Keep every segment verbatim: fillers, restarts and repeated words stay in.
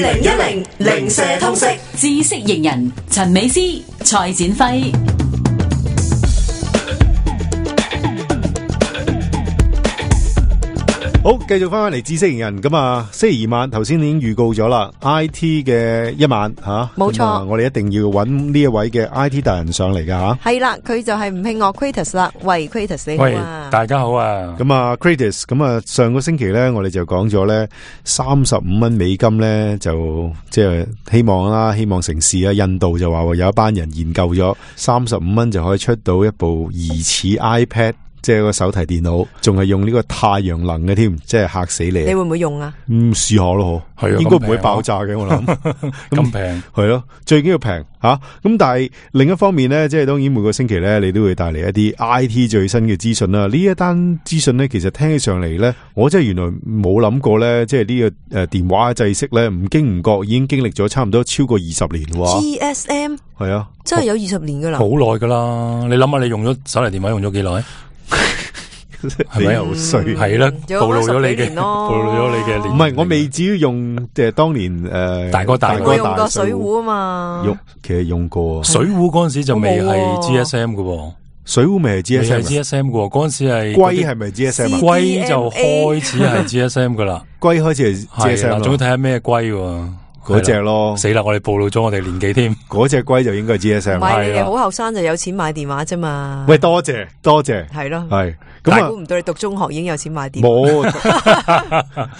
零一零零舍通識知識型人陳美詩、蔡展輝。好，繼續翻返嚟知識型人咁啊！星期二晚頭先已經預告咗啦 ，I T 嘅一晚吓，冇錯、啊，我哋一定要揾呢一位嘅 I T 達人上嚟噶吓。係啦，佢就係吳慶岳 Kratos 啦。喂 Kratos 你好啊！大家好啊！咁啊 Kratos，咁啊上個星期咧，我哋就講咗咧三十五蚊美金咧，就即係希望啦，希望成事啊！印度就話有一班人研究咗三十五蚊就可以出到一部疑似 iPad。即係個手提電腦，仲係用呢個太陽能嘅添，即係嚇死你！你會唔會用啊？嗯，試下咯，係啊，應該唔會爆炸嘅，我諗咁平係咯，最緊要平吓。咁、啊、但係另一方面咧，即係當然每個星期咧，你都會帶嚟一啲 I T 最新嘅資訊啦。呢一單資訊咧，其實聽起上嚟咧，我真係原來冇諗過咧，即係呢個誒電話制式咧，唔經唔覺已經經歷咗差唔多超過二十年喎。G S M 係啊，真係有二十年噶啦，好耐噶啦。你諗下，你用咗手提電話用咗幾耐？係咪好衰？係啦，暴露咗你嘅，暴露咗你嘅年。唔係，我未至於用即係當年誒、呃、大哥大哥我用過水壺啊嘛。用其實用過水壺嗰陣時就未係 G S M 嘅，水壺未係 G S M， 係 G S M 嘅嗰陣時係龜係咪 G S M？ 龜就開始係 G S M 噶啦，龜開始係 G S M， 仲要睇下咩龜。嗰隻咯，死啦！我哋暴露咗我哋年紀添。嗰隻龜就應該係 G S M。唔係，你哋好後生就有錢買電話啫嘛。喂，多謝多謝，係咯，係。咁啊，估唔到你讀中學已經有錢買電話。冇，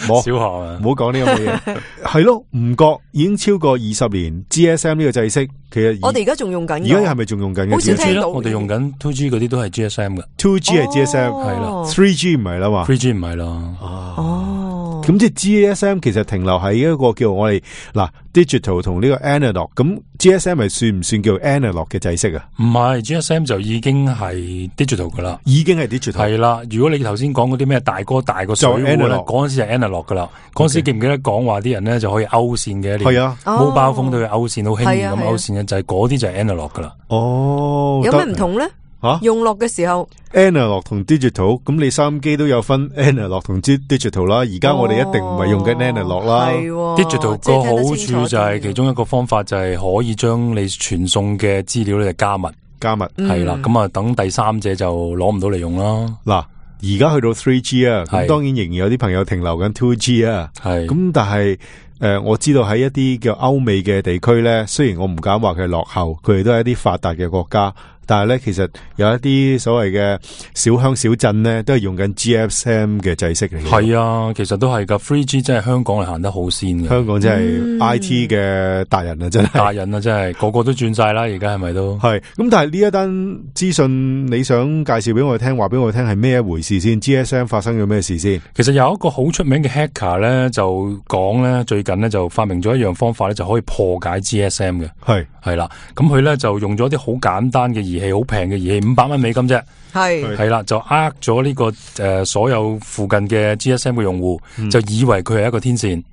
冇小學啊，唔好講呢咁嘅嘢。係咯，唔覺已經超過二十年 G S M 呢個制式，其實我哋而家仲用緊。而家係咪仲用緊嘅？好少聽到。我哋用緊 two G 嗰啲都係 G S M 嘅。two G 係 G S M， 係啦。three G 唔係啦嘛。three G 唔係啦。哦。咁即係 G S M 其實停留喺一個叫我哋嗱 digital 同呢個 analog， 咁 G S M 係算唔算叫 analog 嘅制式啊？唔係 G S M 就已經係 digital 噶啦，已經係 digital。係啦，如果你頭先講嗰啲咩大哥大個水壺咧，嗰陣時係 analog 噶啦。嗰陣時記唔記得講話啲人咧就可以勾線嘅？係啊，mobile phone都要勾線，好輕易咁勾線嘅，就係嗰啲就係 analog 噶啦。哦，有咩唔同咧？啊、用落嘅時候 ，analog 同 digital， 咁你收音機都有分 analog 同 digital 啦。而家我哋一定唔係用緊 analog 啦。哦、digital 個好處就係其中一個方法就係可以將你傳送嘅資料咧加密，加密係啦。咁啊，等第三者就攞唔到嚟用啦。嗱，而家去到 three G 啊，咁當然仍然有啲朋友停留緊 two G 啊。係咁，但係誒、呃，我知道喺一啲叫歐美嘅地區咧，雖然我唔敢話佢係落後，佢哋都係一啲發達嘅國家。但係咧，其實有一啲所謂嘅小鄉小鎮咧，都係用緊 G S M 嘅制式嚟嘅。係啊，其實都係噶 three G 真係香港係行得好先嘅。香港真係 I T 嘅達人啊，真係達人啊，真係個個都轉晒啦。而家係咪都係？咁但係呢一單資訊，你想介紹俾我哋聽，話俾我哋聽係咩一回事先 ？G S M 發生咗咩事先？其實有一個好出名嘅 hacker 咧，就講咧最近咧就發明咗一樣方法咧，就可以破解 G S M 嘅。係係啦，咁佢咧就用咗啲好簡單嘅儀器，好平嘅儀器，五百蚊美金啫。係係啦，就呃咗呢個誒、呃、所有附近嘅 G S M 嘅用戶、嗯，就以為佢係一個天線。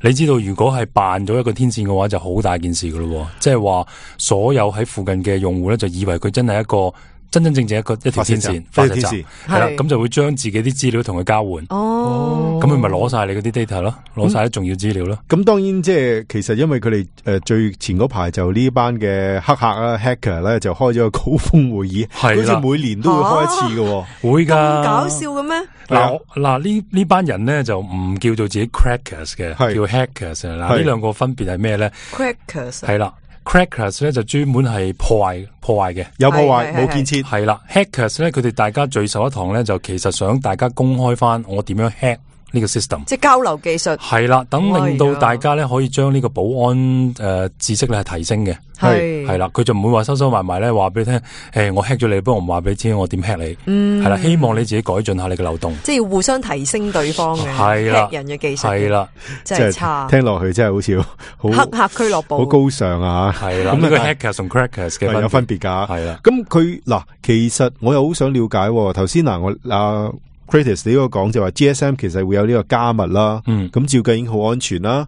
你知道如果係扮咗一個天線嘅話，就好大件事噶咯。即係話所有喺附近嘅用戶咧，就以為佢真係一個。真真正正一個一條天線，發射站係啦，咁就會將自己啲資料同佢交換。哦，咁佢咪攞晒你嗰啲 data 咯，攞晒啲重要資料咯。咁、嗯、當然即係其實因為佢哋誒最前嗰排就呢班嘅黑客啦 hacker 咧就開咗個高峰會議，好似每年都會開一次嘅、啊，會噶。咁搞笑嘅咩？嗱嗱呢呢班人咧就唔叫做自己 crackers 嘅，叫 hackers。嗱呢兩個分別係咩咧 ？crackers 係啦。Crackers 咧就專門係破壞破壞嘅，有破壞冇建設係啦。Hackers 咧佢哋大家聚首一堂咧，就其實想大家公開翻我點樣 hack 呢個 system， 即係交流技術係啦，等令到大家咧可以將呢個保安誒、呃、知識咧係提升嘅，係係啦，佢就唔會話收收埋埋咧話俾你聽，誒我 hack 咗你，不過唔話俾你知我點 hack 你，嗯係啦，希望你自己改進下你嘅漏洞，即係要互相提升對方嘅 hack 人嘅技術，係啦，真係差，聽落去真係好似好黑客俱樂部，好高尚啊，係啦，咁呢個 hackers 同 crackers 嘅有分別噶，係啦，咁佢嗱其實我又好想了解，頭先嗱我啊。Kratos 你嗰個講就話 G S M 其實會有呢個加密啦，嗯，咁照計已經好安全啦。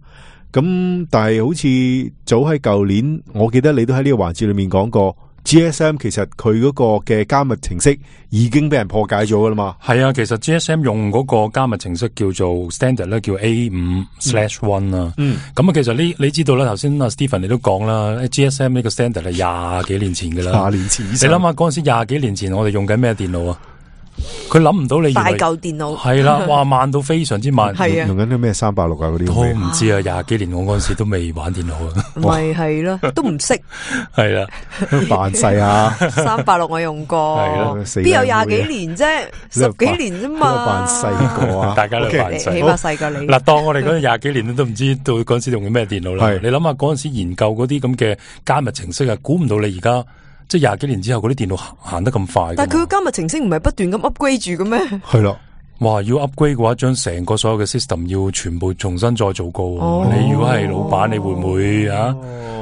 咁但係好似早喺舊年，我記得你都喺呢個環節裏面講過 G S M 其實佢嗰個嘅加密程式已經俾人破解咗噶啦嘛。係啊，其實 G S M 用嗰個加密程式叫做 standard 咧，叫 A 五 slash one 啦。嗯，咁啊，其實呢，你知道啦，頭先阿 Stephen 你都講啦 ，G S M 呢個 standard 係廿幾年前噶啦。廿年前，你諗下嗰陣時廿幾年前，我哋用緊咩電腦啊？佢諗唔到你大舊電腦係啦，哇慢到非常之慢，係啊，用緊啲咩三百六啊嗰啲，我唔知啊，廿幾年我嗰陣時都未玩電腦啊，咪係咯，都唔識，係啦，扮細啊，三百六我用過，係啦，邊有廿幾年啫，十幾年啫嘛，扮細個啊，大家都扮細，起碼細過你。嗱，當我哋嗰陣廿幾年都唔知到嗰陣時用緊咩電腦啦，你諗下嗰陣時研究嗰啲咁嘅加密程式啊，估唔到你而家。即係廿幾年之後，嗰啲電腦行行得咁快。但係佢個加密程式唔係不斷咁 upgrade 住嘅咩？係咯，哇！要 upgrade 嘅話，將成個所有嘅 system 要全部重新再做過。哦、你如果係老闆，你會唔會啊？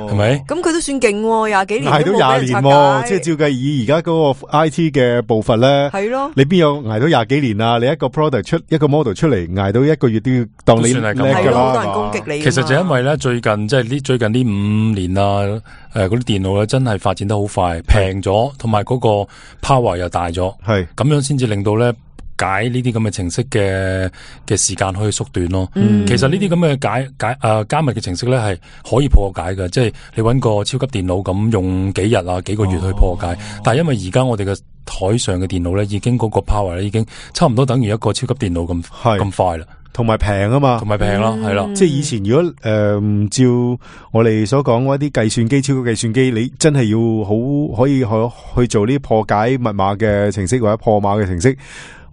係咪？咁佢都算勁，廿幾年挨到廿年，即係照計以而家嗰個 I T 嘅步伐咧，係咯。你邊有挨到廿幾年啊？你一個 product 出一個 model 出嚟，挨到一個月都要當你叻㗎啦。係咯，好多人攻擊你。其實就因為咧，最近即係呢最近呢五年啊。誒，嗰啲電腦咧真係發展得好快，平咗，同埋嗰個 power 又大咗，係咁樣先至令到咧解呢啲咁嘅程式嘅嘅時間可以縮短咯。嗯、其實呢啲咁嘅解解誒、呃、加密嘅程式咧係可以破解嘅，即係你搵個超級電腦咁用幾日啊幾個月去破解。哦、但係因為而家我哋嘅台上嘅電腦咧已經嗰個 power 咧已經差唔多等於一個超級電腦咁咁快啦。同埋平啊嘛，同埋平啦，係啦、嗯，即係以前如果誒、呃、照我哋所講嗰啲計算機、超級計算機，你真係要好可以去去做呢啲破解密碼嘅程式或者破碼嘅程式。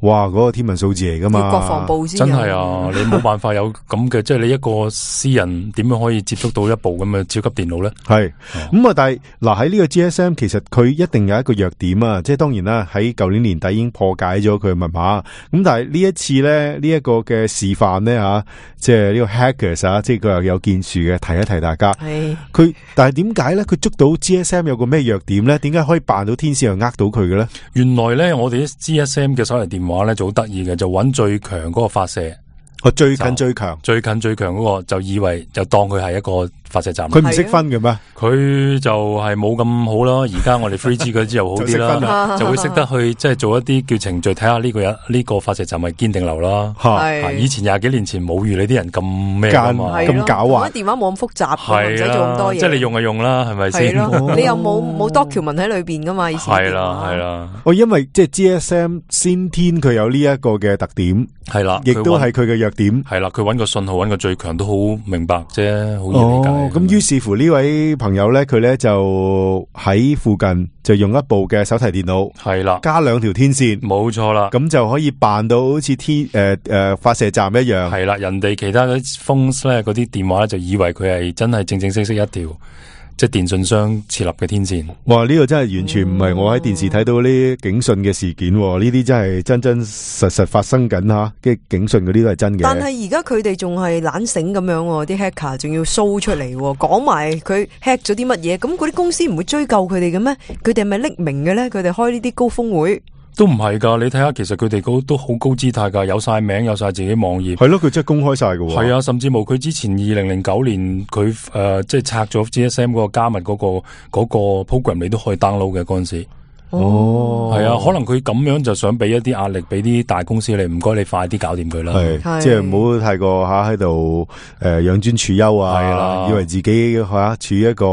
哇！嗰、那個天文數字嚟噶嘛？國防部先真係啊！你冇辦法有咁嘅，即係你一個私人點樣可以接觸到一部咁嘅超級電腦咧？係咁啊！但係嗱喺呢個 G S M 其實佢一定有一個弱點啊！即係當然啦，喺舊年年底已經破解咗佢嘅密碼。咁但係呢一次咧，呢、這、一個嘅示範咧吓，即係呢個 hackers 啊，即係佢又有建樹嘅，提一提大家。係佢，但係點解咧？佢捉到 G S M 有個咩弱點咧？點解可以扮到天使又呃到佢嘅咧？原來咧，我哋啲 G S M 嘅手提電話。話咧就好得意嘅，就揾最強嗰個發射，我最近最強，最近最強嗰個就以為就當佢係一個發射站，佢唔識分嘅咩？佢就係冇咁好啦。而家我哋 three G 嗰支又好啲啦，就會識得去即係做一啲叫程序，睇下呢個人呢個發射站係堅定流啦。係以前廿幾年前冇如你啲人咁咩噶嘛，咁狡猾，電話冇咁複雜，唔使做咁多嘢。即係你用就用啦，係咪先？你又冇冇 document 喺裏邊噶嘛？以前係啦係啦。哦，因為即係 G S M 先天佢有呢一個嘅特點，係啦，亦都係佢嘅弱點。係啦，佢揾個信號揾個最強都好明白啫，好易理解。咁於是乎呢位朋友咧，佢咧就喺附近就用一部嘅手提電腦，係啦，加兩條天線，冇錯啦，咁就可以扮到好似天誒誒、呃、發射站一樣。係啦，人哋其他嗰啲 phones 咧，嗰啲電話咧就以為佢係真係正正式式一條。即係電信商設立嘅天線，哇！呢、這個真係完全唔係我喺電視睇到呢啲警訊嘅事件，呢啲真係真真實實發生緊吓，嘅警訊嗰啲都係真嘅。但係而家佢哋仲係懶醒咁樣，啲 hacker 仲要 show 出嚟，講埋佢 hack 咗啲乜嘢，咁嗰啲公司唔會追究佢哋嘅咩？佢哋係咪匿名嘅咧？佢哋開呢啲高峰會？都唔係噶，你睇下，其實佢哋都好高姿態噶，有晒名，有晒自己網頁。係咯，佢真係公開晒噶。係啊，甚至冇佢之前二零零九年佢誒、呃，即係拆咗 G S M 嗰個加密嗰、嗰個、嗰個 program，你都可以 download 嘅嗰陣時。哦，係啊，可能佢咁樣就想俾一啲壓力俾啲大公司，你唔該你快啲搞掂佢啦。係，即係唔好太過吓喺度誒養尊處優啊，係啦，以為自己吓、啊、處於一個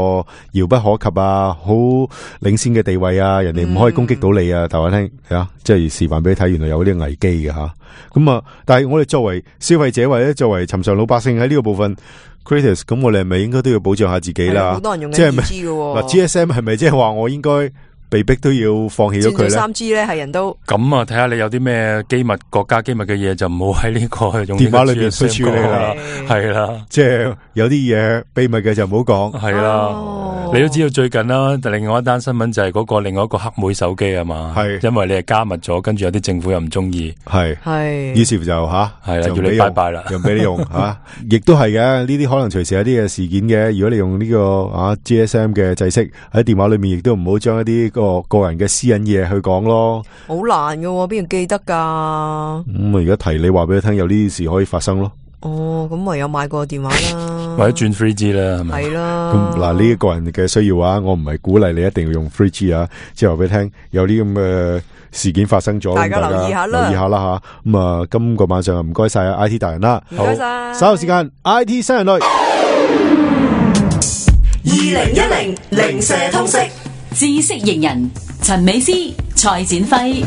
遙不可及啊，好領先嘅地位啊，人哋唔可以攻擊到你啊。但我聽係啊，即係示範俾你睇，原來有啲危機嘅吓。咁啊，但係我哋作為消費者或者作為尋常老百姓喺呢個部分 creators， 咁我哋係咪應該都要保障下自己啦？好多人用緊二 G 嘅嗱 G S M 係咪即係話我應該？被逼都要放棄咗佢咧。三 G 咧係人都咁啊！睇下你有啲咩機密、國家機密嘅嘢，就唔好喺呢個用電話裏邊去處理啦。係啦，即係有啲嘢秘密嘅就唔好講。係啦，你都知道最近啦，另外一單新聞就係嗰個另外一個黑莓手機啊嘛。係，因為你係加密咗，跟住有啲政府又唔中意。係係，於是乎就吓係啦，要你拜拜啦，又俾你用吓，亦都係嘅。呢啲可能隨時有啲嘅事件嘅。如果你用呢個啊 G S M 嘅制式喺電話裏面，亦都唔好將一啲個個人嘅私隱嘢去講咯，好難噶，邊度記得噶？咁啊，而家提你話俾你聽，有呢啲事可以發生咯。哦，咁唯有買個電話啦。或者轉 three G 啦，係咪？係啦。咁嗱，呢一個人嘅需要啊，我唔係鼓勵你一定要用 three G 啊，即係話俾你聽，有啲咁嘅事件發生咗，大家留意下啦，留意下啦吓。咁啊，今個晚上唔該晒 I T 大人啦，唔該晒。稍後時間 I T 新人類，二零一零零舍通識知識型人陳美詩、蔡展輝。